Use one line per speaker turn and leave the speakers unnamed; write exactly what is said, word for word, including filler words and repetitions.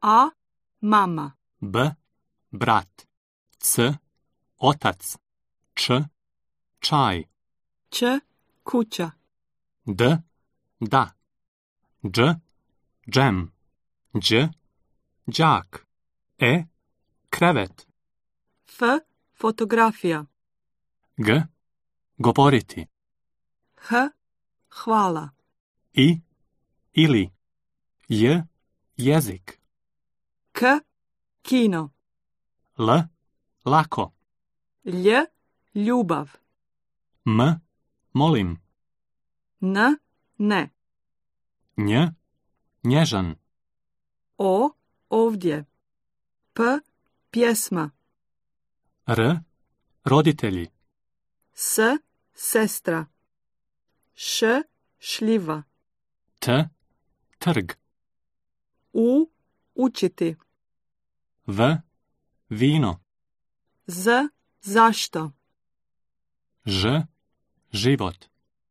A. Mama.
B. Brat. C. Otac. Č. Čaj.
Č. Kuća.
D. Da. Dž. Džem. Đ. Đak. E. Krevet.
F. Fotografija.
G. Govoriti.
H. Hvala.
I. Ili. J. Jezik.
K. Kino.
L. Lako.
Lj. Ljubav.
M. Molim.
N. Ne.
Nj. Nježan.
O. Ovdje. P. Pjesma.
R. Roditelji.
S. Sestra. Š. Šljiva.
T. Trg.
U. Učiti.
V. Vino.
Z. Zašto.
Ž. Život.